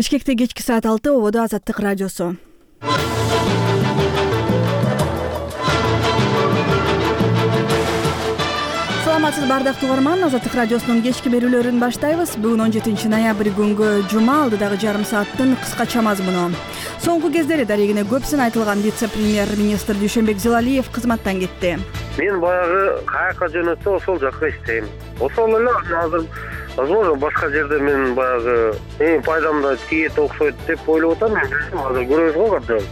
Бишкекте кечки саат 6 ободо Азаттык радиосу. Саламатсыз бардактуу угарман, Азаттык радиосунун кечки берүүлөрүн баштайбыз. Бүгүн 17 ноябрь күнгө жума, алдыдагы жарым сааттын кыскача мазмуну. Соңку кездери дарегине көп айтылган вице-премьер-министр Дүйшөнбек Зилалиев кызматтан кетти. Мен баягы каяка жөнөтсө ошол жакка иштейм. Ошол эле азыр возможно башка жерде мен баягы пайдамда тиет окшойт деп ойлоп атам. Азыр көрөбүз го кандай.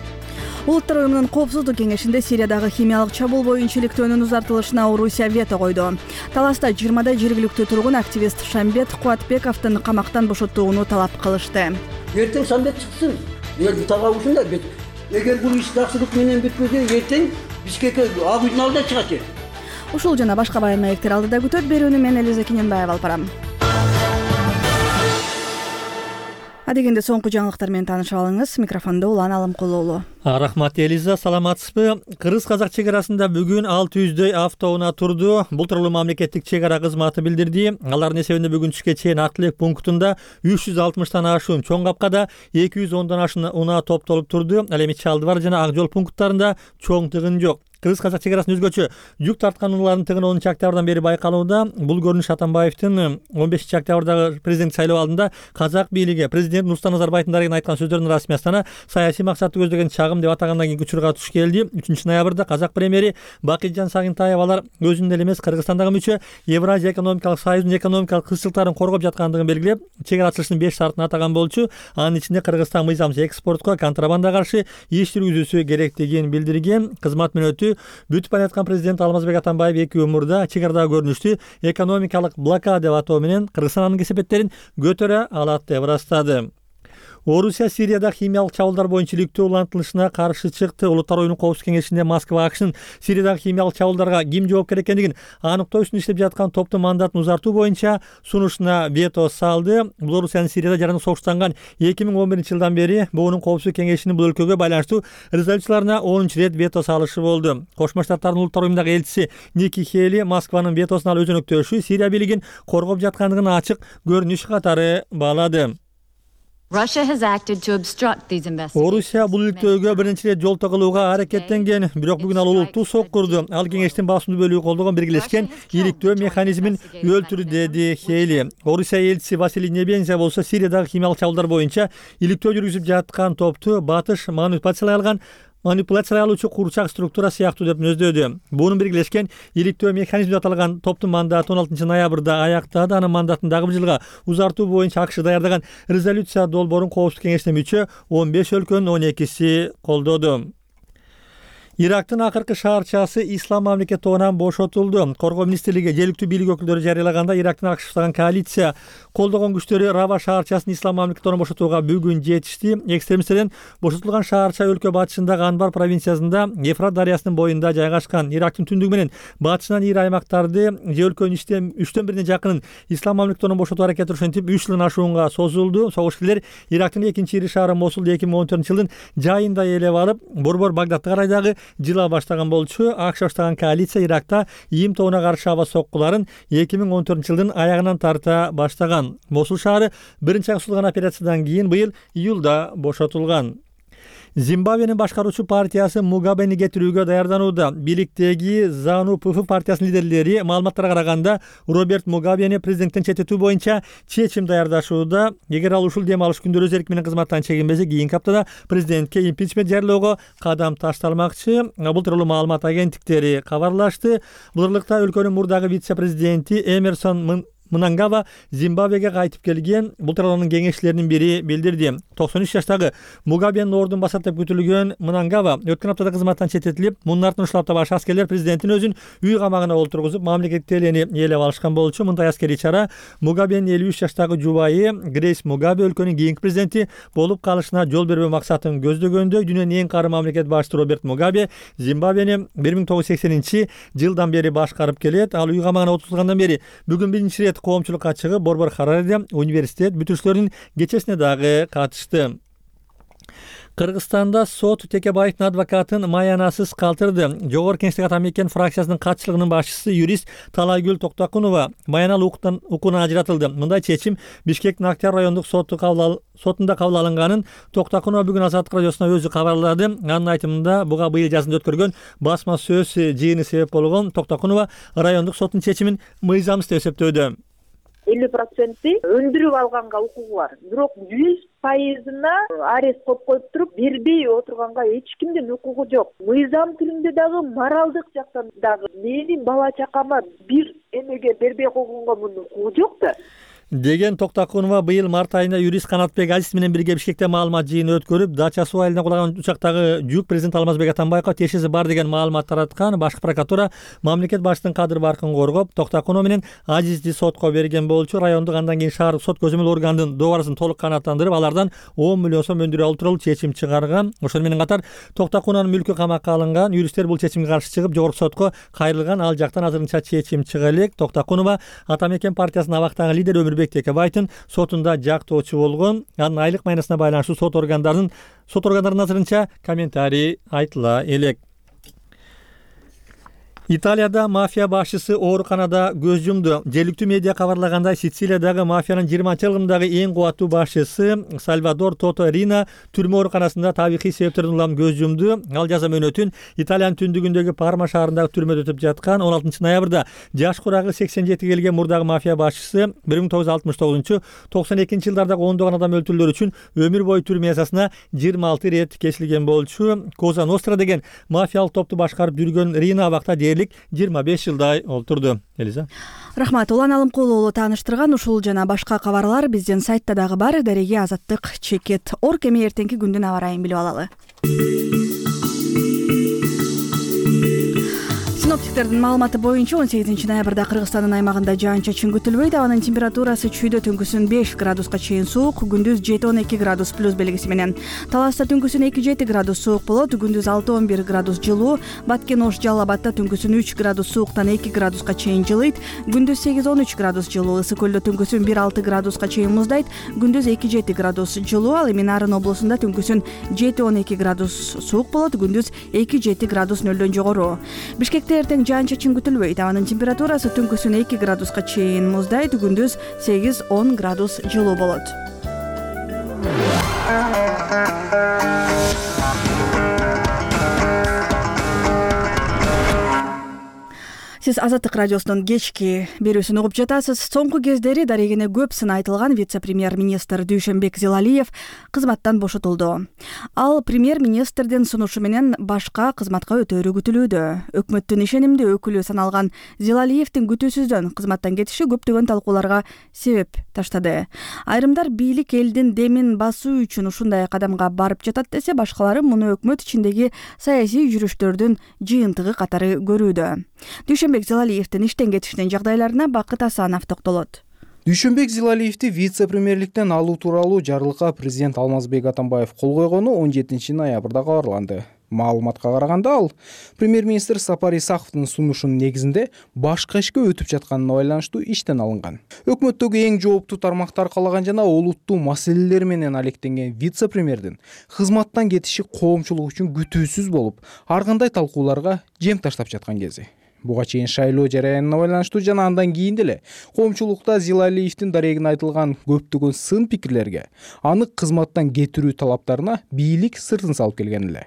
Улуттар уюмунун коопсуздук кеңешинде Сириядагы химиялык чабуул боюнча иликтөөнүн узартылышына Орусия вето койду. Таласта 20 жергиликтүү тургун активист Шамбет Кубатбековдун камактан бошотууну талап кылышты. Эртең Шамбет чыксын. Тага ушундай бет. Эгер бул иш жакшылык менен бүтпөсө, эртең Бишкекке ак үйдүн алдына чыгат. Ушул жана башка баян маектер алдыда күтөт. Берүүнү мен Элиза Кененбаева алып барам. Адегенде соңку жаңылыктар менен таанышып алыңыз. Микрофондо Улан Алымкулуу уулу. Рахмат Элиза, саламатсызбы? Кыргыз-казак чек арасында бүгүн 600дөй автоунаа турду. Бул тууралуу мамлекеттик чек ара кызматы билдирди. Алардын эсебинде бүгүн түшкө чейин Актылек пунктунда 360тан ашуун, Чоң Капкада 210дан ашуун унаа топтолуп турду. Ал эми Чалдыбар жана Ак жол пункттарында чоң тыгын жок. Кыргыз-казак чек арасында өзгөчө жүк тарткан унаалардын тыгыны 10 октябрдан бери байкалууда. Бул көрүнүш Атамбаевдин 15 октябрдагы президент шайлоо алдында казак бийлиги президент Нурсултан Назарбаевдин дарегине айткан сөздөрүнүн расмий астана саясий максатты көздөгөн чагым деп атагандан кийинки учурга туш келди. 3 ноябрда казак премьери Бакытжан Сагынтаев алар өзүнүн эле эмес Кыргызстандагы мүчө Евразия экономикалык союзунун экономикалык кызчылыктарын коргоп жаткандыгын белгилеп, чек ара ачылышынын 5 шартын атаган болчу. Анын ичинде Кыргызстан мыйзамсыз экспортко, контрабандага каршы иш жүргүзүүсү керектигин билдирген. Кызмат мүнөтү бүтүп бараткан президент Алмазбек Атамбаев 2 өмүрдө чек арадагы көрүнүштү экономикалык блокада деп атоо менен Кыргызстан анын кесепеттерин көтөрө алат деп ырастады. Орусия Сирияда химиялык чабуулдар боюнча иликтөө улантылышына каршы чыкты. Улуттар уюмунун коопсуздук кеңешинде Москва АКШнын Сириядагы химиялык чабуулдарга ким жооптор экендигин аныктоо үстүндө иштеп жаткан топтун мандатын узартуу боюнча сунушуна вето салды. Бул Орусиянын Сирияда жараны согуштанган 2011-жылдан бери буунун коопсуздук кеңешинин бул өлкөгө байланыштуу резолюцияларына 10-чу рет вето салышы болду. Кошмо Штаттардын улуттар уюмундагы элчиси Ники Хейли Москванын ветосун ал өзөнөктөшү Сирия бийлигин коргоп жаткандыгын ачык көрүнүш катары баалады. Орусия бул иликтөөгө биринчи рет жол кылууга аракеттенген, бирок бүгүн ал улуттуу сок курду. Ал кеңештин басымдуу бөлүгү колдогон биргелешкен иликтөө механизмин өлтүрдү, деди Хейли. Орусия элчиси Василий Небензя болсо Сириядагы химиялык чабуулдар боюнча иликтөө жүргүзүп жаткан топту батыш манипуляциялай алуучу курчак структура сыяктуу деп мүнөздөдү. Буунун биргелешкен иликтөө механизми деп аталган топтун мандаты 16 ноябрда аяктады. Анын мандатын дагы бир жылга узартуу боюнча АКШ даярдаган резолюция долбоорун коопсуздук кеңешине мүчө 15 өлкөнүн 12си колдоду. Ирактын акыркы шаарчасы Ислам мамлекет тобунан бошотулду. Коргоо министрлиги жергиликтүү бийлик өкүлдөрү жарыялаганда Ирактын АКШ уштаган коалиция колдогон күчтөрү Рава шаарчасын Ислам мамлекет тобунан бошотууга бүгүн жетишти. Экстремисттерден бошотулган шаарча өлкө батышындагы Анбар провинциясында Ефрат дарыясынын боюнда жайгашкан. Ирактын түндүгү менен батышынан ири аймактарды же өлкөнүн 3/4 жакынын Ислам мамлекет тобунан бошотуу аракети ошентип 3 жылдан ашуунга созулду. Согушкерлер Ирактын экинчи ири шаары Мосулду 2014-жылдын жайында ээлеп алып, борбор Багдадты карайдагы жыла баштаган болчу. АКШ баштаган коалиция Иракта ИИМ тобуна каршы аба соккуларын 2014-жылдын аягынан тарта баштаган. Мосул шаары биринчи ачылган операциядан кийин быйыл июлда бошотулган. Зимбабвенин башкаруучу партиясы Мугабени кетирүүгө даярданууда. Бийликтеги ЗАНУ-ПФ партиясынын лидерлери маалыматтарга караганда Роберт Мугабени президенттен четтетүү боюнча чечим даярдашууда. Эгер ал ушул дем алыш күндөрү өз эрки менен кызматтан чегинбесе, кийинки аптада президентке импичмент жарыялоого кадам ташталмакчы. Бул тууралуу маалымат агенттиктери кабарлашты. Бул ырлыкта өлкөнүн мурдагы вице-президенти Эмерсон Мнангава Зимбабвеге кайтып келген. Бул тууралуу анын кеңешчилеринин бири билдирди. 93 жаштагы Мугабенин ордун басат деп күтүлгөн Мнангава өткөн аптада кызматтан четтетилип, мунун артынан ушул апта баш аскерлер президенттин өзүн үй камагына олтургузуп, мамлекеттик телени ээлеп алышкан болчу. Мындай аскерий чара Мугабенин 53 жаштагы жубайы Грейс Мугабе өлкөнүн кийинки президенти болуп калышына жол бербөө максатын көздөгөндө, дүйнөнүн эң кары мамлекет башчысы Роберт Мугабе Зимбабвени 1980-жылдан бери башкарып келет. Ал үй камагына отурулгандан бери бүгүн биринчи рет коомчулукка чыгып, борбор Харареде университет бүтүрүштөрүнүн кечесине дагы катышты. Кыргызстанда сот Текебаевдин адвокатын маянасыз калтырды. Жогорку Кеңештеги Атамекен фракциясынын катчылыгынын башчысы юрист Талайгүл Токтокунова маяналуу укугунан ажыратылды. Мындай чечим Бишкектин Актяр райондук сотунда кабыл алынганын Токтокунова бүгүн Азаттык радиосуна өзү кабарлады. Анын айтымында буга быйыл жазында өткөргөн басма сөз жыйыны себеп болгон. Токтокунова райондук соттун чечимин мыйзамсыз деп эсептөөдө. 50% өндүрүп алганга укугу бар. Бирок 100%-ына арест коюп туруп бербей отурганга эч кимдин укугу жок. Мыйзам тилинде дагы, моралдык жактан дагы менин бала чакама бир эмеге бербей койгонго мунун укугу жок да. Деген Токтокунова быйыл март айында юрист Канатбек Азиз менен бирге Бишкекте маалымат жыйыны өткөрүп, Дача суу айылына кулаган учактагы жүк президент Алмазбек Атамбаевга тиешеси бар деген маалымат тараткан. Башкы прокуратура мамлекет башчысынын кадыр баркын коргоп, Токтокунова менен Азизди сотко берген болчу. Райондук андан кийин шаардык сот көзөмөл органдын доорасун толук канааттандырып, алардан 10 миллион сом өндүрө алуу тууралуу чечим чыгарган. Ошону менен катар Токтокунованын мүлкү камакка алынган. Юристтер бул чечимге каршы чыгып, жогорку сотко кайрылган. Ал жактан азырынча чечим чыга элек. Токтокунова Атамекен партиясынын абактагы лидери Өмүрбек Текебаевдин сотунда жактоочу болгон. Анын айлык маянасына байланыштуу сот органдарынын азырынча комментарий айтыла элек. Италияда мафия башчысы ооруканада көз жумду. Жергиликтүү медиа кабарлагандай, Сицилиядагы мафиянын 20-жылдагы эң кубаттуу башчысы Сальвадор Тото Рина түрмө ооруканасында табигый себептерден улам көз жумду. Ал жаза мөөнөтүн Италиянын түндүгүндөгү Парма шаарындагы түрмөдө өтүп жаткан. 16 ноябрда жаш курагы 87 келген мурдагы мафия башчысы 1969-92 жылдардагы ондогон адам өлтүрүүлөр үчүн өмүр бою түрмө язасына 26 ирет кесилген болчу. Коза Ностра деген мафиялык топту башкарып жүргөн Рина абакта 25 жылдай олтурду. Элиза. Рахмат. Улан Алымкулуу уулу тааныштырган ушул жана башка кабарлар биздин сайтта дагы бар. Дареги Азаттык чекет. Орг эми эртеңки күндүн аба ырайын билип алалы. Синоптиктердин маалыматы боюнча 18 ноябрда Кыргызстандын аймагында жаан-чачын күтүлбөйт. Абанын температурасы чүйдө түнкүсүн 5 градуска чейин суук, күндүз 7-12 градус плюс белгиси менен. Таласта түнкүсүн 2-7 градус суук болот, күндүз 6-11 градус жылуу. Баткен Ош Жалал Абадта түнкүсүн 3 градус сууктан 2 градуска чейин жылыйт, күндүз 8-13 градус жылуу. Ысык көлдө түнкүсүн 1-6 градуска чейин муздайт, күндүз 2-7 градус жылуу. Ал эми Нарын облусунда түнкүсүн 7-12 градус суук болот, күндүз 2-7 градус нөлдөн жогору. Бишкекте эртең жаан-чачын күтүлбөйт. Абанын температурасы түнкүсүн 2 градуска чейин муздайт, күндүз 8-10 градус жылуу болот. Сиз Азаттык радиосунун кечки берүүсүн угуп жатасыз. Соңку кездери дарегине көп сын айтылган вице-премьер-министр Дүйшөнбек Зилалиев кызматтан бошотулду. Ал премьер-министрдин сунушу менен башка кызматка өтөөрү күтүлүүдө. Өкмөттүн ишенимдүү өкүлү саналган Зилалиевдин күтүүсүздөн кызматтан кетиши көптөгөн талкууларга себеп таштады. Айрымдар бийлик элдин демин басуу үчүн ушундай кадамга барып жатат десе, башкалары муну өкмөт ичиндеги саясий жүрүштөрдүн жыйынтыгы катары көрүүдө. Дүйшөнбек Зилалиевдин иштен кетишинин жагдайларына Бакыт Асанов токтолот. Дүйшөнбек Зилалиевди вице-премьерликтен алуу тууралуу жарлыкка президент Алмазбек Атамбаев кол койгону 17 ноябрда кабарланды. Маалыматка караганда, ал премьер-министр Сапар Исаковдун сунушунун негизинде башка ишке өтүп жатканына байланыштуу иштен алынган. Өкмөттөгү эң жооптуу тармактар калаган жана олуттуу маселелер менен алектенген вице-премьердин кызматтан кетиши коомчулук үчүн күтүүсүз болуп, ар кандай талкууларга жем таштап жаткан кези. Буга чейин шайлоо жараянына байланыштуу жана андан кийин деле коомчулукта Зилалиевдин дарегине айтылган көптөгөн сын пикирлерге, аны кызматтан кетирүү талаптарына бийлик сыртын салып келген эле.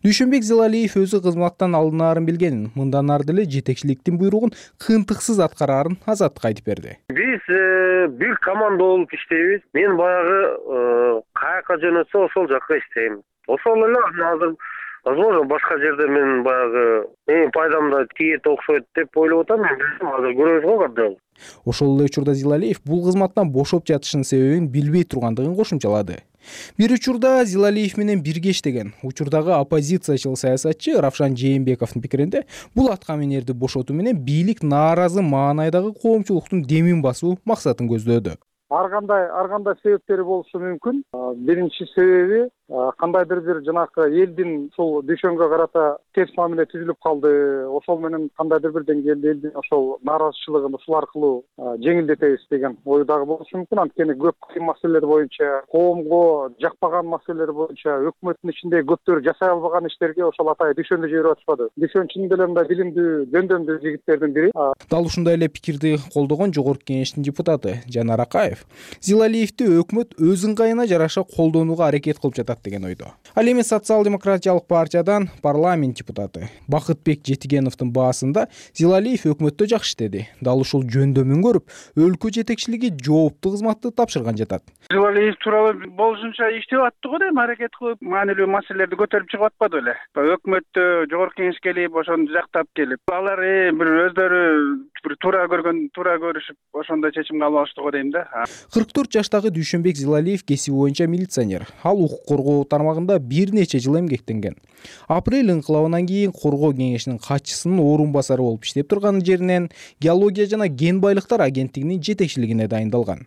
Дүйшөнбек Зилалиев өзү кызматтан алынаарын билгенин, мындан ары деле жетекчиликтин буйругун кыйынтыксыз аткараарын Азаттыкка айтып берди. Биз бир команда болуп иштейбиз. Мен баягы каяка жөнөтсө ошол жакка иштейм. Ошол эле азыр возможно башка жерде мен баягы эң пайдамда тиет окшойт деп ойлоп атам. Мен азыр көрөбүз го кандай. Ошол эле учурда Зилалиев бул кызматтан бошоп жатышынын себебин билбей тургандыгын кошумчалады. Бир учурда Зилалиев менен бирге иштеген учурдагы оппозициячыл саясатчы Равшан Жээнбековдун пикиринде, бул аткаминерди бошотуу менен бийлик нааразы маанайдагы коомчулуктун демин басуу максатын көздөөдү. Ар кандай себептери болушу мүмкүн. Биринчи себеби кандайдыр бир жанагы элдин ушул дүйшөнгө карата терс мамиле түзүлүп калды, ошол менен кандайдыр бир деңгээлде элдин ошол нааразычылыгын ушул аркылуу жеңилдетебиз деген ой дагы болушу мүмкүн. Анткени көп кыйын маселелер боюнча, коомго жакпаган маселелер боюнча өкмөттүн ичинде көптөр жасай албаган иштерге ошол атайын дүйшөндү жиберип атышпады. Дүйшөн чын деле мындай билимдүү, жөндөмдүү жигиттердин бири. Дал ушундай эле пикирди колдогон Жогорку Кеңештин депутаты Жанар Акаев Зилалиевди өкмөт өз ыңгайына жараша колдонууга аракет кылып жатат деген ойдо. Ал эми Социал-демократиялык партиядан парламент депутаты Бакытбек Жетигеновдун баасында Зилалиев өкмөттө жакшы иштеди. Дал ушул жөндөмүн көрүп, өлкө жетекчилиги жооптуу кызматты тапшырган жатат. Зилалиев тууралуу болушунча иштеп аттык го дейм, аракет кылып, маанилүү маселелерди көтөрүп чыгып атпады беле. Өкмөттө Жогорку Кеңеш келип, ошону жактап келип, алар бир өздөрү бир туура көрүшүп, ошондой чечим кабыл алышты го дейм да. 44 жаштагы Дүйшөнбек Зилалиев кесиби боюнча милиционер. Ал укук коргоо тармагында бир нече жыл эмгектенген. Апрель инкылабынан кийин коргоо кеңешинин катчысынын орун басары болуп иштеп турган жеринен геология жана кен байлыктар агенттигинин жетекчилигине дайындалган.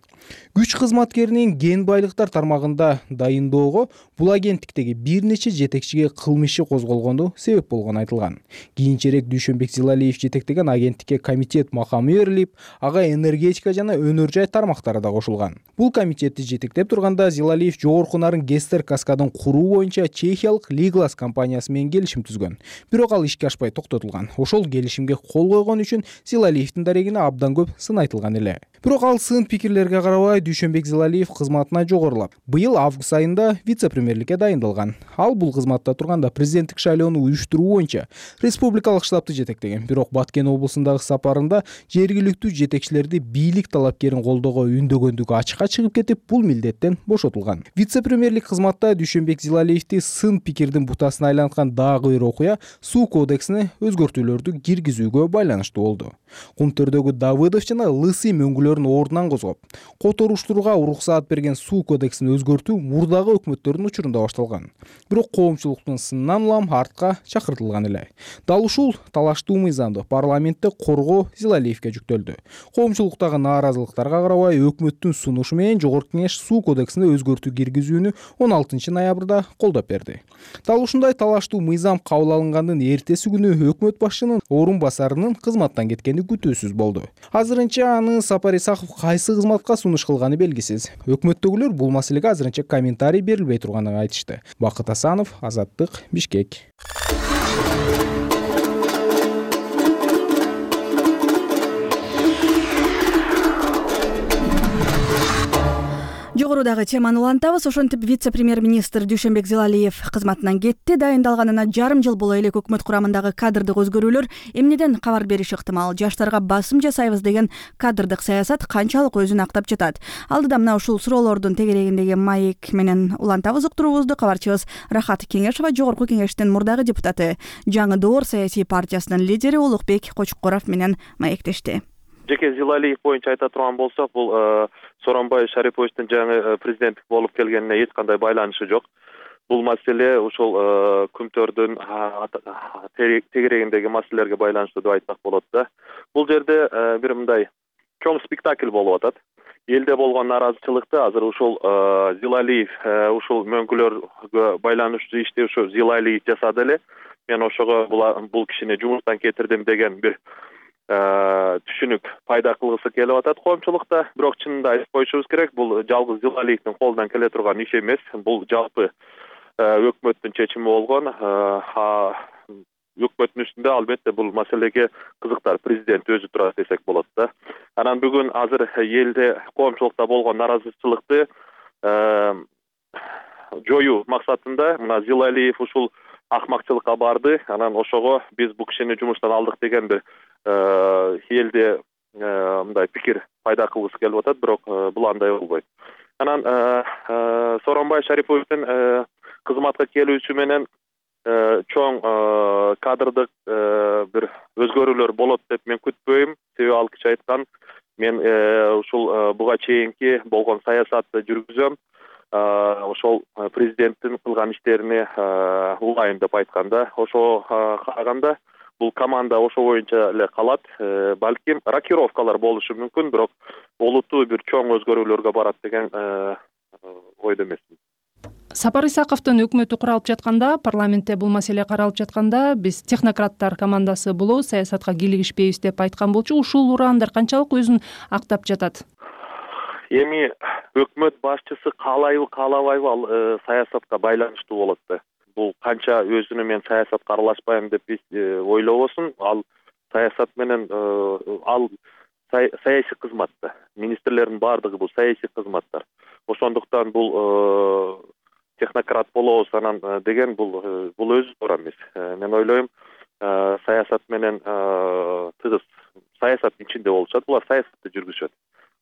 Күч кызматкеринин кен байлыктар тармагында дайындоого бул агенттиктеги бир нече жетекчиге кылмыш иши козголгону себеп болгону айтылган. Кийинчерээк Дүйшөнбек Зилалиев жетектеген агенттикке комитет макамы берилип, ага энергетика жана өнөр жай тармактары да кошулган. Бул комитетти жетектеп турганда Зилалиев жогорку нарын Гестер каскадын куруу боюнча чехиялык Лиглас компаниясы менен келишим түзгөн. Бирок ал ишке ашпай токтотулган. Ошол келишимге кол койгон үчүн Зилалиевдин дарегине абдан көп сын айтылган эле. Бирок ал сын пикирлерге карабай Дүйшөнбек Зилалиев кызматына жогорулап, быйыл август айында вице-премьерликке дайындалган. Ал бул кызматта турганда президенттик шайлоону уюштуруу боюнча республикалык штабты жетектеген. Бирок Баткен облусундагы сапарында жергиликтүү жетекчилерди бийлик талапкерин колдоого үндөгөндүгү ачыкка чыгып кетип, бул милдеттен бошотулган. Вице-премьерлик кызматта Дүйшөнбек Зилалиевди сын пикирдин бутасына айланткан дагы бир окуя суу кодексине өзгөртүүлөрдү киргизүүгө байланыштуу болду. Кумтөрдөгү Давыдов жана Лысый мөңгүлөрүн ордунан козгоп, которуштурууга уруксаат берген суу кодексин өзгөртүү мурдагы өкмөттөрдүн учурунда башталган. Бирок коомчулуктун сынынан улам артка чакыртылган эле. Дал ушул талаштуу мыйзамды парламентте коргоо Зилалиевге жүктөлдү. Коомчулуктагы нааразылыктарга карабай өкмөттүн сунушу менен Жогорку Кеңеш суу кодексине өзгөртүү киргизүүнү 16 ноябрда колдоп берди. Дал ушундай талаштуу мыйзам кабыл алынгандын эртеси күнү өкмөт башчынын орун басарынын кызматтан кеткени күтүүсүз болду. Азырынча аны Сапар Исаков кайсы кызматка сунуш кылганы белгисиз. Өкмөттөгүлөр бул маселеге азырынча комментарий берилбей турганын айтышты. Бакыт Асанов, Азаттык, Бишкек. Жогорудагы теманы улантабыз. Ошентип вице-премьер-министр Дүйшөнбек Зилалиев кызматынан кетти. Дайындалганына жарым жыл боло элек өкмөт курамындагы кадрдык өзгөрүүлөр эмнеден кабар бериши ыктымал? Жаштарга басым жасайбыз деген кадрдык саясат канчалык өзүн актап жатат? Алдыда мына ушул суроолордун тегерегиндеги маек менен улантабыз уктуруубузду. Кабарчыбыз Рахат Кеңешова Жогорку Кеңештин мурдагы депутаты, Жаңы Доор саясий партиясынын лидери Улукбек Кочкоров менен маектешти. Жеке Зилалиев боюнча айта турган болсок, бул Сооронбай Шариповичтин жаңы президенттик болуп келгенине эч кандай байланышы жок. Бул маселе ушул күмтөрдүн тегерегиндеги маселелерге байланыштуу деп айтсак болот да. Бул жерде бир мындай чоң спектакль болуп атат. Элде болгон нааразычылыкты азыр ушул Зилалиев ушул мөңгүлөргө байланыштуу ишти ушу Зилалиев жасады эле. Мен ошого бул кишини жумуштан кетирдим деген бир түшүнүк пайда кылгысы келип атат коомчулукта. Бирок чынында айтып коюшубуз керек, бул жалгыз Зилалиевдин колунан келе турган иш эмес. Бул жалпы өкмөттүн чечими болгон. Өкмөттүн үстүндө албетте бул маселеге кызыктар президент өзү турат десек болот да. Анан бүгүн азыр элде коомчулукта болгон нааразычылыкты жоюу максатында мына Зилалиев ушул акмакчылыкка барды. Анан ошого биз бул кишини жумуштан алдык деген бир элде мындай пикир пайда кылгысы келип атат, бирок бул андай болбойт. Анан Сооронбай Шариповичтин кызматка келүүсү менен чоң кадрдык бир өзгөрүүлөр болот деп мен күтпөйм. Себеби ал киши айткан, мен ушул буга чейинки болгон саясатты жүргүзөм. Ошол президенттин кылган иштерине улайын деп айтканда, ошого караганда бул команда ошо боюнча эле калат. Балким рокировкалар болушу мүмкүн, бирок олуттуу бир чоң өзгөрүүлөргө барат деген ойдо эмесмин. Сапар Исаковдун өкмөтү куралып жатканда, парламентте бул маселе каралып жатканда, биз технократтар командасы болобуз, саясатка кийлигишпейбиз деп айткан болчу. Ушул ураандар канчалык өзүн актап жатат? Эми өкмөт башчысы каалайбы, каалабайбы, ал саясатка байланыштуу болот да. Бул канча өзүнө мен саясатка аралашпайм деп ойлобосун, ал саясат менен ал саясий кызмат да. Министрлердин баардыгы бул саясий кызматтар. Ошондуктан бул технократ болобуз анан деген бул өзү туура эмес. Мен ойлойм, саясат менен тыгыз саясат ичинде болушат, булар саясатты жүргүзүшөт.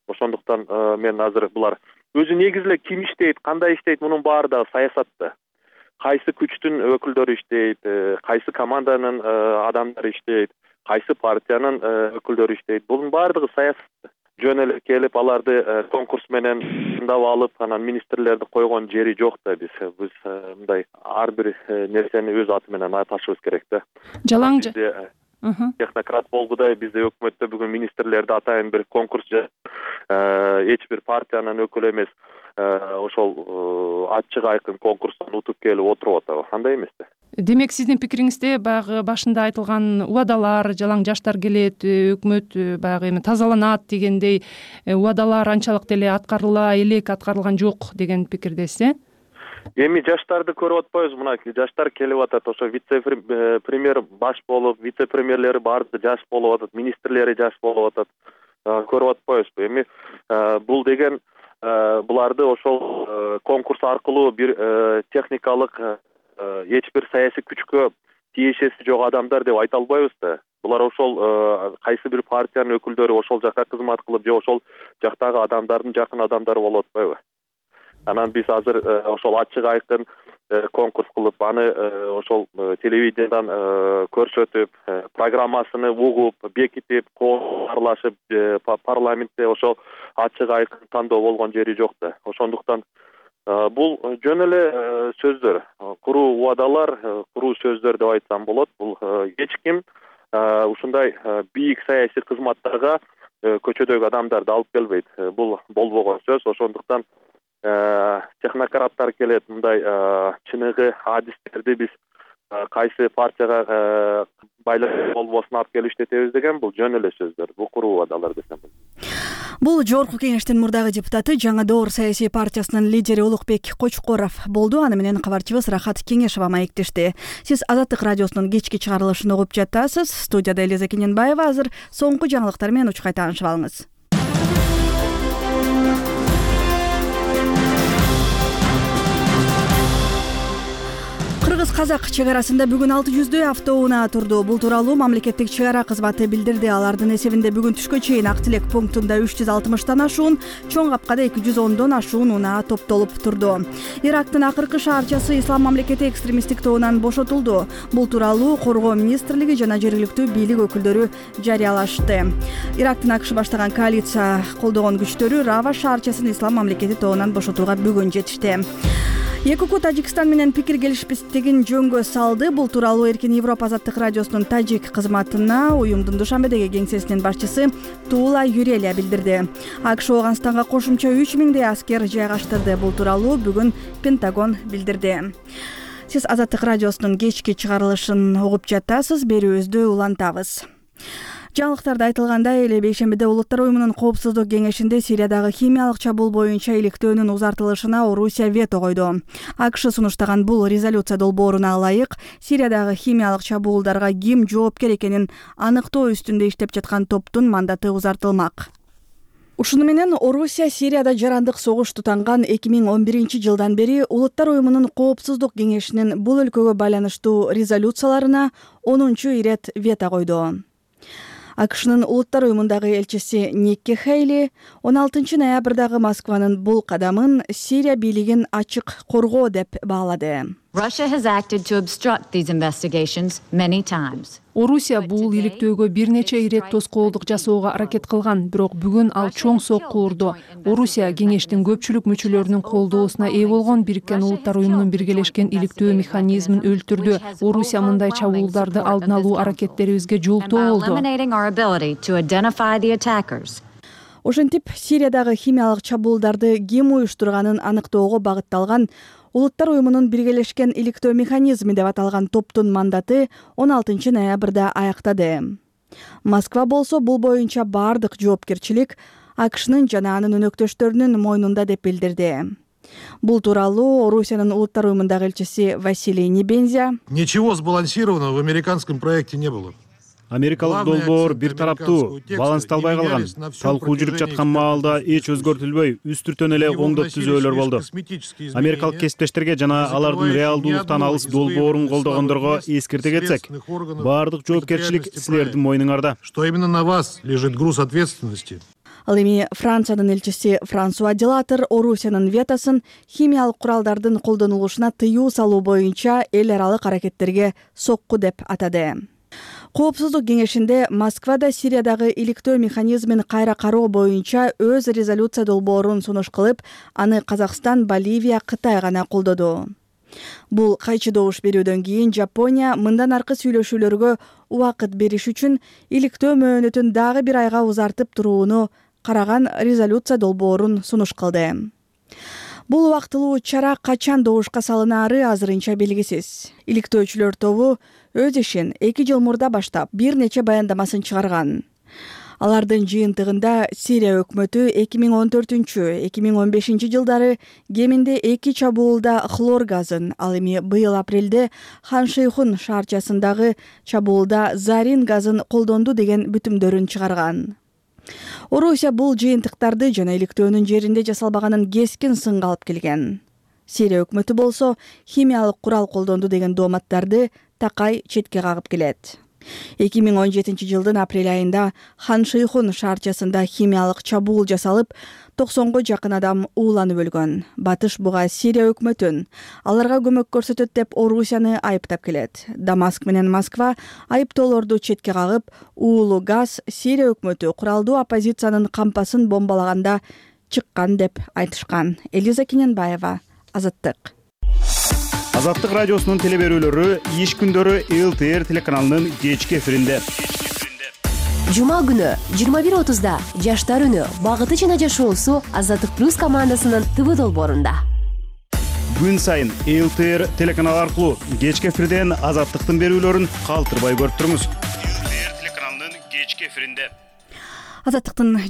Ошондуктан мен азыр булар өзү негизи эле ким иштейт, кандай иштейт, мунун баары дагы саясатта. Кайсы күчтүн өкүлдөрү иштейт, кайсы команданын адамдары иштейт, кайсы партиянын өкүлдөрү иштейт. Бунун баардыгы саясат. Жөн эле келип аларды конкурс менен тандап алып, анан министрлерди койгон жери жок да. Биз мындай ар бир нерсени өз аты менен аташыбыз керек да. Жалаң технократ болгудай бизде өкмөттө бүгүн министрлерди атайын бир конкурс эч бир партиянын өкүлү эмес, ошол ачык айкын конкурстан утуп келип отуруп атабы? Андай эмес да. Демек, сиздин пикириңизде баягы башында айтылган убадалар, жалаң жаштар келет, өкмөт баягы эми тазаланат дегендей убадалар анчалык деле аткарыла элек, аткарылган жок деген пикирдесиз, Эми жаштарды көрүп атпайбызбы? Мына жаштар келип атат, ошо вице-премьер баш болуп, вице-премьерлери баардыгы жаш болуп атат, министрлери жаш болуп атат. Көрүп атпайбызбы? Эми бул деген буларды ошол конкурс аркылуу бир техникалык эч бир саясий күчкө тиешеси жок адамдар деп айта албайбыз да. Булар ошол кайсы бир партиянын өкүлдөрү ошол жака кызмат кылып, же ошол жактагы адамдардын жакын адамдары болуп атпайбы? Анан биз азыр ошол ачык айкын конкурс кылып, аны ошол телевидениядан көрсөтүп, программасыны угуп, бекитип, аралашып, парламентте ошол ачык айкын тандоо болгон жери жок да. Ошондуктан бул жөн эле сөздөр, куруу убадалар, куруу сөздөр деп айтсам болот. Бул эч ким ушундай бийик саясий кызматтарга көчөдөгү адамдарды алып келбейт. Бул болбогон сөз. Ошондуктан технократтар келет, мындай чыныгы адистерди биз кайсы партияга байланыш болбосун алып келип иштетебиз деген бул жөн эле сөздөр. Бул куруу убадалар десем. Бул Жогорку Кеңештин мурдагы депутаты, Жаңы Доор саясий партиясынын лидери Улукбек Кочкоров болду. Аны менен кабарчыбыз Рахат Кеңешова маектешти. Сиз Азаттык радиосунун кечки чыгарылышын угуп жатасыз. Студияда Элиза Кененбаева. Азыр соңку жаңылыктар менен учкай таанышып алыңыз. Кыргыз-казак чек арасында бүгүн 600 автоунаа турду. Бул тууралуу мамлекеттик чек ара кызматы билдирди. Алардын эсебинде бүгүн түшкө чейин Ак Тилек пунктунда 360тан ашуун, Чоң Капкада 210дон ашуун унаа топтолуп турду. Ирактын акыркы шаарчасы Ислам мамлекети экстремисттик тобунан бошотулду. Бул тууралуу Коргоо министрлиги жана жергиликтүү бийлик өкүлдөрү жарыялашты. Ирактын АКШ баштаган коалиция колдогон күчтөрү Рава шаарчасын Ислам мамлекети тобунан бошотууга бүгүн жетишти. ЭКК Тажикстан менен пикир келишпестигин жөнгө салды. Бул тууралуу Эркин Европа Азаттык радиосунун тажик кызматына уюмдун Душанбедеги кеңсесинин башчысы Туула Юрелия билдирди. АКШ Ооганстанга кошумча 3000 аскер жайгаштырды. Бул тууралуу бүгүн Пентагон билдирди. Сиз Азаттык радиосунун кечки чыгарылышын угуп жатасыз. Берүүбүздү улантабыз. Жаңылыктарда айтылгандай эле бейшембиде Улуттар уюмунун коопсуздук кеңешинде Сириядагы химиялык чабуул боюнча иликтөөнүн узартылышына Орусия вето койду. АКШ сунуштаган бул резолюция долбооруна ылайык Сириядагы химиялык чабуулдарга ким жоопкер экенин аныктоо үстүндө иштеп жаткан топтун мандаты узартылмак. Ушуну менен Орусия Сирияда жарандык согуш тутанган 2011-жылдан бери Улуттар уюмунун коопсуздук кеңешинин бул өлкөгө байланыштуу резолюцияларына 10-чу ирет вето койду. АКШнын Улуттар уюмундагы элчиси Никки Хейли 16 ноябрдагы Москванын бул кадамын Сирия бийлигин ачык коргоо деп баалады. Орусия бул иликтөөгө бир нече ирет тоскоолдук жасоого аракет кылган, бирок бүгүн ал чоң сокку урду. Орусия кеңештин көпчүлүк мүчөлөрүнүн колдоосуна ээ болгон Бириккен Улуттар уюмунун биргелешкен иликтөө механизмин өлтүрдү. Орусия мындай чабуулдарды алдын алуу аракеттерибизге жолтоо болду. Ошентип Сириядагы химиялык чабуулдарды ким уюштурганын аныктоого багытталган Улуттар уюмунун биргелешкен иликтөө механизми деп аталган топтун мандаты 16 ноябрда аяктады. Москва болсо бул боюнча бардык жоопкерчилик АКШнын жана анын өнөктөштөрүнүн мойнунда деп билдирди. Бул тууралуу Орусиянын Улуттар уюмундагы элчиси Василий Небензя: Ничего сбалансированного в американском проекте не было. Америкалык долбоор бир тараптуу, балансталбай калган. Талкуу жүрүп жаткан маалда эч өзгөртүлбөй, үстүртөн эле оңдоп түзөөлөр болду. Америкалык кесиптештерге жана алардын реалдуулуктан алыс долбоорун колдогондорго эскерте кетсек, баардык жоопкерчилик силердин мойнуңарда. Что именно на вас лежит груз ответственности. Ал эми Франциянын элчиси Франсуа Делатер Орусиянын ветосын химиялык куралдардын колдонулушуна тыюу салуу боюнча эл аралык аракеттерге сокку деп атады. Коопсуздук кеңешинде Москвада Сириядагы иликтөө механизмин кайра кароо боюнча өз резолюция долбоорун сунуш кылып, аны Казакстан, Боливия, Кытай гана колдоду. Бул кайчы добуш берүүдөн кийин Жапония мындан аркы сүйлөшүүлөргө убакыт бериш үчүн иликтөө мөөнөтүн дагы бир айга узартып турууну караган резолюция долбоорун сунуш кылды. Бул убактылуу чара качан добушка салынаары азырынча белгисиз. Иликтөөчүлөр тобу өз ишин 2 жыл мурда баштап бир нече баяндамасын чыгарган. Алардын жыйынтыгында Сирия өкмөтү 2014-2015 жылдары кеминде 2 чабуулда хлор газын, ал эми быйыл апрелде Хан-Шейхун шаарчасындагы чабуулда зарин газын колдонду деген бүтүмдөрүн чыгарган. Орусия бул жыйынтыктарды жана иликтөөнүн жеринде жасалбаганын кескин сынга алып келген. Сирия өкмөтү болсо химиялык курал колдонду деген дооматтарды такай четке кагып келет. 2017 жылдын апрель айында Хан-Шейхун шаарчасында химиялык чабуул жасалып, 90го жакын адам ууланып өлгөн. Батыш буга Сирия өкмөтүн аларга көмөк көрсөтөт деп Орусияны айыптап келет. Дамаск менен Москва айыптоолорду четке кагып, уулуу газ Сирия өкмөтү куралдуу оппозициянын кампасын бомбалаганда чыккан деп айтышкан. Элиза Кененбаева, Азаттык. Азаттык радиосунун телеберүүлөрү иш күндөрү ЛТР телеканалынын кечки эфиринде. Жума күнү 21:30да Жаштар үнү багыты жана жашоосу Азаттык плюс командасынын ТВ долбоорунда. Күн сайын ЛТР телеканалы аркылуу кечки эфирден Азаттыктын берүүлөрүн калтырбай көрүп туруңуз. ЛТР телеканалынын кечки эфиринде. Азаттыктын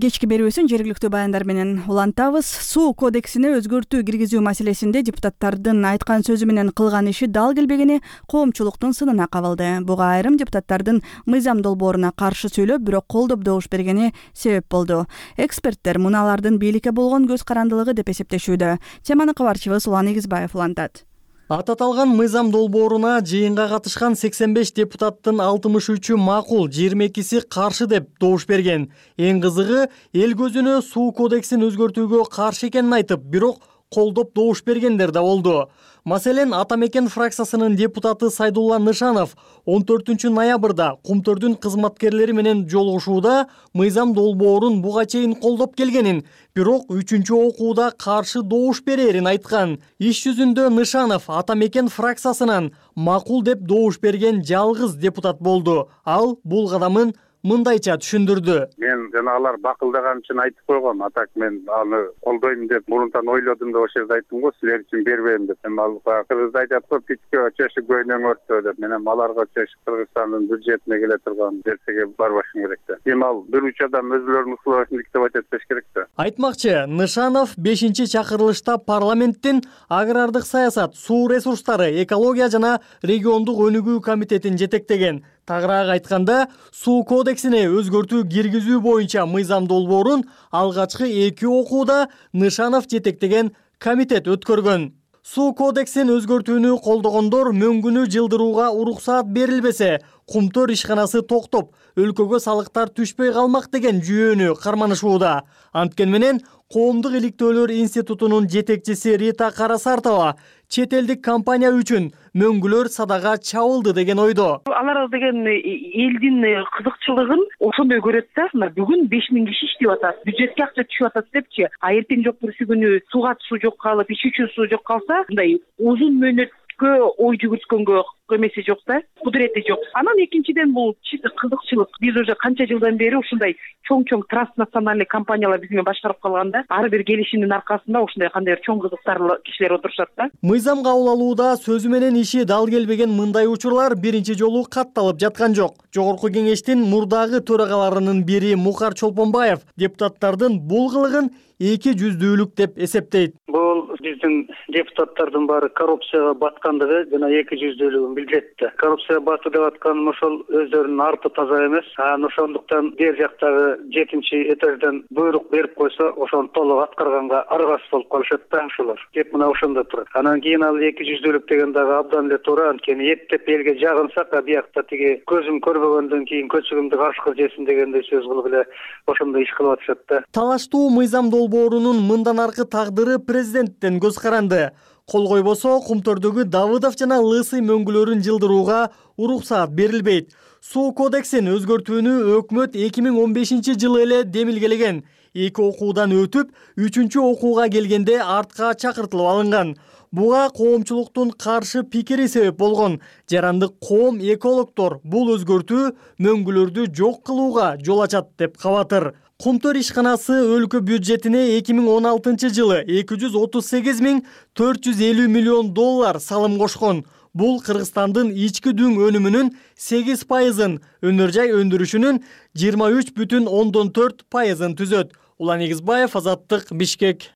кечки берүүсүн жергиликтүү баяндар менен улантабыз. Суу кодексине өзгөртүү киргизүү маселесинде депутаттардын айткан сөзү менен кылган иши дал келбегени коомчулуктун сынына кабылды. Буга айрым депутаттардын мыйзам долбооруна каршы сүйлөп, бирок колдоп добуш бергени себеп болду. Эксперттер муну алардын бийликке болгон көз карандылыгы деп эсептешүүдө. Теманы кабарчыбыз Улан Эгизбаев улантат. Ататалган мыйзам долбооруна жыйынга катышкан 85 депутаттын 63-ü макул, 22-си каршы деп добуш берген. Эң кызыгы, эл көзүнө суу кодексин өзгөртүүгө каршы экенин айтып, бирок колдоп добуш бергендер да болду. Маселен, Ата Мекен фракциясынын депутаты Сайдулла Нышанов 14 ноябрда Кумтөрдүн кызматкерлери менен жолугушууда мыйзам долбоорун буга чейин колдоп келгенин, бирок 3-окууда каршы добуш берерин айткан. Иш жүзүндө Нышанов Ата Мекен фракциясынан макул деп добуш берген жалгыз депутат болду. Ал бул кадамын мындайча түшүндүрдү. Мен жана алар бакылдаган үчүн айтып койгом. Атак мен аны колдойм деп мурунтан ойлодум да ошол жерде айттым го, силер үчүн бербейм деп. Мен ал кыргызда айтат го, питке чөшү көйнөң өрттө деп. Мен аларга чөшү Кыргызстандын бюджетине келе турган нерсеге барбашым керек да. Эми ал бир үч адам өзүлөрүнүн укугун диктеп этпеш керек да. Айтмакчы, Нышанов 5-чакырылышта парламенттин агрардык саясат, суу ресурстары, экология жана региондук өнүгүү комитетин жетектеген. Тагыраак айтканда, суу кодексине өзгөртүү киргизүү боюнча мыйзам долбоорун алгачкы 2 окууда Нышанов жетектеген комитет өткөргөн. Суу кодексин өзгөртүүнү колдогондор мөңгүнү жылдырууга уруксаат берилбесе, Кумтөр ишканасы токтоп, өлкөгө салыктар түшпөй калмак деген жүйөнү карманышууда. Анткени менен Коомдук иликтөөлөр институтунун жетекчиси Рита Карасартова чет элдик компания үчүн мөңгүлөр садага чабылды деген ойдо. Алар деген элдин кызыкчылыгын ошондой көрөт да. Бүгүн 5000 киши иштеп атат, бюджетке акча түшүп атат депчи. А эртең жок бүрсү күнү сууга суу жок калып, ич үчүн суу жок калса, мындай узун мөөнөткө ой жүгүрткөнгө эмеси жок да, кудурети жок. Анан экинчиден бул чисто кызыкчылык. Биз уже канча жылдан бери ушундай чоң транснациональный компаниялар биз менен башкарып калганда, ар бир келишимдин аркасында ушундай кандайдыр чоң кызыктарлуу кишилер отурушат да. Мыйзам кабыл алууда сөзү менен иши дал келбеген мындай учурлар биринчи жолу катталып жаткан жок. Жогорку кеңештин мурдагы төрагаларынын бири Мухар Чолпонбаев депутаттардын бул кылыгын эки жүздүүлүк деп эсептейт. Бул биздин депутаттардын баары коррупцияга баткандыгы жана эки жүздүүлүгүн билдирет да. Коррупцияга батуу деп атканым ошол өздөрүнүн арты таза эмес. Ошондуктан бер жактагы 7-этаждан буйрук берип койсо, ошону толук аткарганга аргасыз болуп калышат да ошолор. Кеп мына ошондо турат. Анан кийин ал эки жүздүүлүк деген дагы абдан эле туура. Анткени эптеп элге жагынсак, биякта тиги көзүм көрбөгөндөн кийин көчөгүмдү кашкыр жесин дегендей сөз кылып эле ошондой иш кылып атышат да. Талаштуу мыйзам долбоорунун мындан аркы тагдыры президенттен көз каранды. Кол койбосо Кумтөрдөгү Давыдов жана Лысый мөңгүлөрүн жылдырууга уруксаат берилбейт. Суу кодексин өзгөртүүнү өкмөт 2015 жылы эле демилгелеген. 2 окуудан өтүп, 3-чү окууга келгенде артка чакыртылып алынган. Буга коомчулуктун каршы пикири себеп болгон. Жарандык коом экологдор бул өзгөртүү мөңгүлөрдү жок кылууга жол ачат деп кабатыр. Кумтөр ишканасы өлкө бюджетине 2016 жылы 238.450 миллион доллар салым кошкон. Бул Кыргызстандын ички дүң өнүмүнүн 8%, өнөр жай өндүрүшүнүн 23,4% түзөт. Улан Эгизбаев, Азаттык, Бишкек.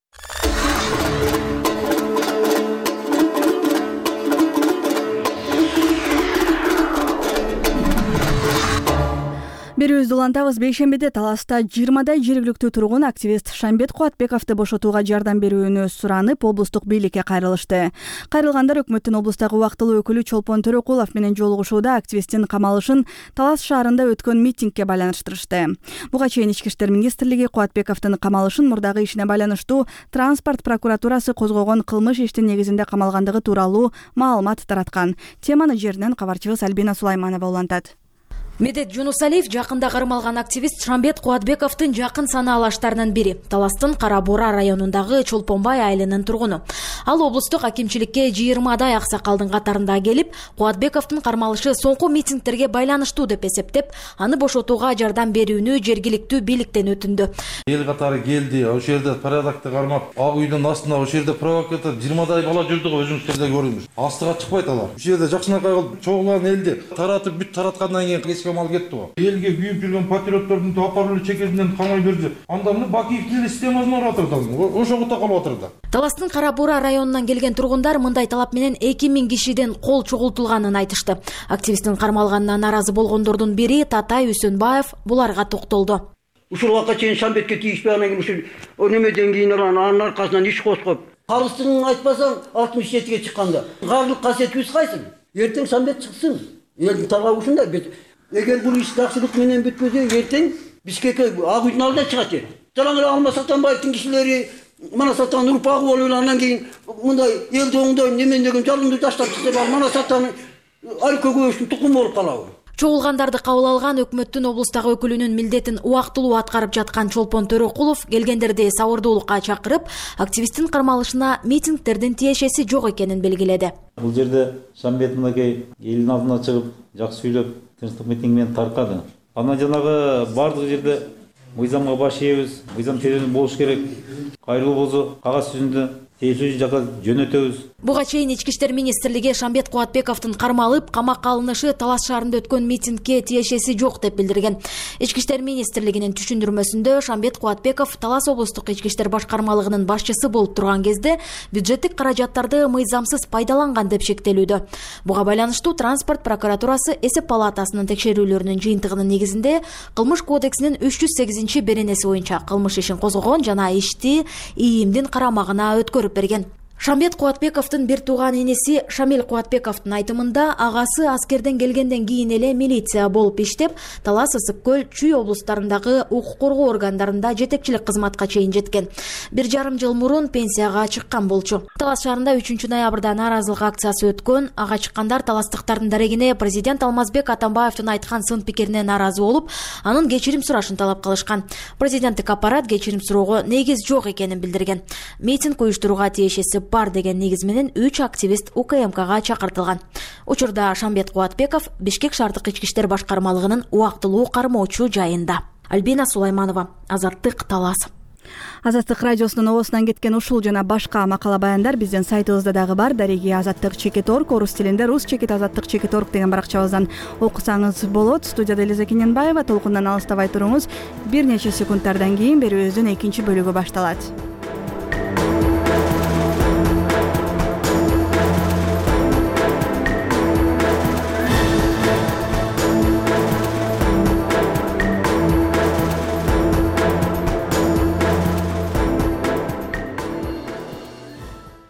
Берүүбүздү улантабыз. Бейшембиде Таласта 20дай жергиликтүү тургун активист Шамбет Кубатбековду бошотууга жардам берүүнү суранып, облустук бийликке кайрылышты. Кайрылгандар өкмөттүн облустагы убактылуу өкүлү Чолпон Төрөкулов менен жолугушууда активисттин камалышын Талас шаарында өткөн митингге байланыштырышты. Буга чейин Ички иштер министрлиги Кубатбековдун камалышын мурдагы ишине байланыштуу транспорт прокуратурасы козгогон кылмыш иштин негизинде камалгандыгы тууралуу маалымат тараткан. Теманы жеринен кабарчыбыз Альбина Сулайманова улантат. Медет Жунусалиев жакында кармалган активист Шамбет Кубатбековдун жакын санаалаштарынын бири. Таластын Кара Бура районундагы Чолпонбай айылынын тургуну. Ал облустук акимчиликке 20дай аксакалдын катарында келип, Кубатбековдун кармалышы соңку митингтерге байланыштуу деп эсептеп, аны бошотууга жардам берүүнү жергиликтүү бийликтен өтүндү. Эл катары келди, ошол жерде порядокты кармап, ак үйдүн астында ошол жерде провокатор 20дай бала жүрдү го, өзүңүздөрдө көрдүңүз. Астыга чыкпайт алар. Ошол жерде жакшынакай кылып чогулган элди таратып бүт тараткандан кийин мал кетти го. Элге күйүп жүргөн патриоттордун тапарлуу чекесинен камай берди. Анда мына Бакиевдин системасына барып атырды. Ошого калып атырды. Таластын Кара Бура районунан келген тургундар мындай талап менен 2000 кишиден кол чогултулганын айтышты. Активисттин кармалганына наразы болгондордун бири Татай Үсөнбаев буларга токтолду. Ушул вакытка чейин Шамбетке тийишпей анан ушул өнөмөдөн кийин анын аркасынан иш козгоп, калыстыгын айтпасаң 67ге чыкканда. Карлык касиетибиз кайсы? Эртең Шамбет чыксын. Элдин талабы ушундай. Эгер бул иш жакшылык менен бүтпөсө, эртең Бишкекке ак үйдүн алдына чыгат. Жалаң эле Алмаз Сатанбаевдин кишилери Мана Сатан урпагы болуп андан кийин мындай элди оңдойм немен деген жалынды таштап чыкса, Мана Сатан Алкө көбөштүн тукуму болуп калабы. Чогулгандарды кабыл алган өкмөттүн облустагы өкүлүнүн милдетин убактылуу аткарып жаткан Чолпон Төрөкулов келгендерди сабырдуулукка чакырып, активисттин кармалышына митингтердин тиешеси жок экенин белгиледи. Бул жерде Шамбет мынакей элдин алдына чыгып, жакшы сүйлөп, тынчтык митинг менен таркады. Анан жанагы бардык жерде мыйзамга баш ийебиз, мыйзам тереңдүү болуш керек. Кайрылуу болсо кагаз жүзүндө тиешелүү жака жөнөтөбүз. Буга чейин Ички иштер министрлиги Шамбет Кубатбековдун кармалып, камакка алынышы Талас шаарында өткөн митингге тиешеси жок деп билдирген. Ички иштер министрлигинин түшүндүрмөсүндө Шамбет Кубатбеков Талас облустук ички иштер башкармалыгынын башчысы болуп турган кезде бюджеттик каражаттарды мыйзамсыз пайдаланган деп шектелүүдө. Буга байланыштуу транспорт прокуратурасы эсеп палатасынын текшерүүлөрүнүн жыйынтыгынын негизинде Кылмыш кодексинин 308-беренеси боюнча кылмыш ишин козгогон жана ишти ИИМдин карамагына өткөрүп берген. Шамбет Кубатбековдун бир тууган энеси Шамил Кубатбековдун айтымында агасы аскерден келгенден кийин эле милиция болуп иштеп, Талас, Ысык Көл, Чүй облустарындагы укук коргоо органдарында жетекчилик кызматка чейин жеткен. 1,5 жыл мурун пенсияга чыккан болчу. Талас шаарында 3-ноябрда нааразылык акциясы өткөн. Ага чыккандар таластыктардын дарегине президент Алмазбек Атамбаевдин айткан сын пикирине нааразы болуп, анын кечирим сурашын талап кылышкан. Президенттик аппарат кечирим суроого негиз жок экенин билдирген. Митинг уюштурууга тиешеси бар деген негиз менен 3 активист УКМКга чакыртылган. Учурда Шамбет Кубатбеков Бишкек шаардык ички иштер башкармалыгынын убактылуу кармоочу жайында. Альбина Сулайманова, Азаттык, Талас. Азаттык радиосунун оосунан кеткен ушул жана башка макала баяндар биздин сайтыбызда дагы бар. Дареги azattik.org, орус тилинде rus.azattik.org деген баракчабыздан окусаңыз болот. Студияда Элиза Кененбаева. Толкундан алыстабай туруңуз. Бир нече секундтардан кийин берүүбүздүн экинчи бөлүгү башталат.